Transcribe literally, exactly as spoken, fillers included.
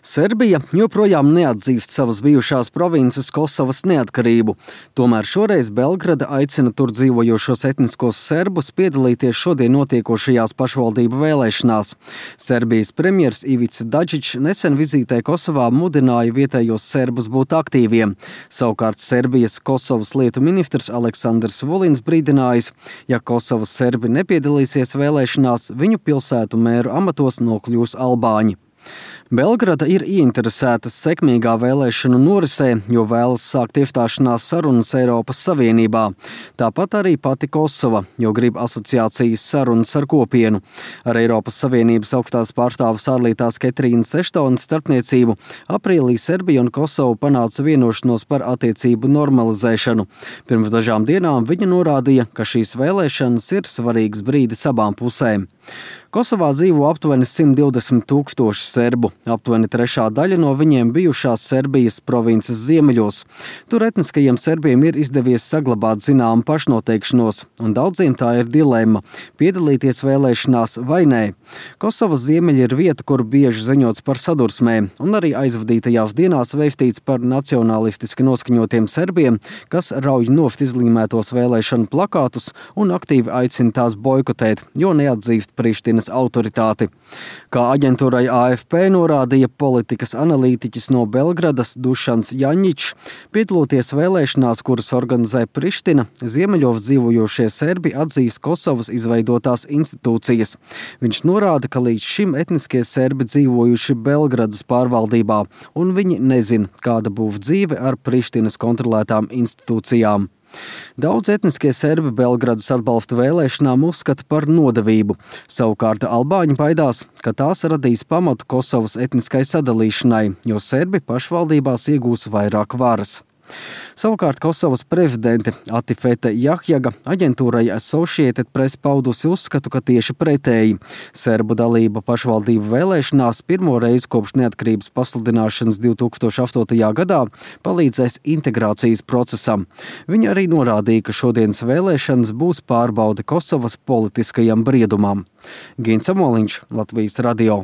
Serbija joprojām neatzīst savas bijušās provinces Kosovas neatkarību. Tomēr šoreiz Belgrada aicina tur dzīvojošos etniskos serbus piedalīties šodien notiekošajās pašvaldību vēlēšanās. Serbijas premjers Ivica Dačić nesen vizītē Kosovā mudināja vietējos serbus būt aktīviem. Savukārt Serbijas Kosovas lietu ministrs Aleksandrs Vulins brīdinājis, ja Kosovas serbi nepiedalīsies vēlēšanās, viņu pilsētu mēru amatos nokļūs albāņi. Belgrada ir ieinteresēta sekmīgā vēlēšanu norisē, jo vēlas sākt iestāšanās sarunas Eiropas Savienībā. Tāpat arī pati Kosova, jo grib asociācijas sarunas ar kopienu. Ar Eiropas Savienības augstās pārstāves ārlietās Ketrīnas Eštonas starpniecību aprīlī Serbija un Kosova panāca vienošanos par attiecību normalizēšanu. Pirms dažām dienām viņa norādīja, ka šīs vēlēšanas ir svarīgs brīdis abām pusēm. Kosovā dzīvo aptuveni simt divdesmit tūkstoši serbu. Aptuveni trešā daļa no viņiem bijušās Serbijas provinces ziemeļos. Tur etniskajiem serbiem ir izdevies saglabāt zināmu pašnoteikšanos, un daudziem tā ir dilemma – piedalīties vēlēšanās vai nē. Kosovas ziemeļi ir vieta, kur bieži ziņots par sadursmēm, un arī aizvadītajās dienās vēstīts par nacionalistiski noskaņotiem serbiem, kas rauj nost izlīmētos vēlēšanu plakātus un aktīvi aicina tās boikotēt, jo neatzīst Prištinas autoritāti. Kā aģentūrai A F P norādīja politikas analītiķis no Belgradas Dušans Jaņičs, piedaloties vēlēšanās, kuras organizē Priština, ziemeļos dzīvojošie serbi atzīs Kosovas izveidotās institūcijas. Viņš norāda, ka līdz šim etniskie serbi dzīvojuši Belgradas pārvaldībā, un viņi nezin, kāda būs dzīve ar Prištinas kontrolētām institūcijām. Daudz etniskie serbi Belgradas atbalsta vēlēšanām uzskata par nodevību. Savukārt albāņi baidās, ka tās radīs pamatu Kosovas etniskai sadalīšanai, jo serbi pašvaldībās iegūs vairāk varas. Savukārt Kosovas prezidente Atifete Jahjaga aģentūrai Associated Press paudusi uzskatu, ka tieši pretēji. Serbu dalība pašvaldību vēlēšanās pirmo reizi kopš neatkarības pasludināšanas divi tūkstoši astotajā gadā palīdzēs integrācijas procesam. Viņa arī norādīja, ka šodienas vēlēšanas būs pārbaude Kosovas politiskajam briedumam. Gins Amoliņš, Latvijas radio.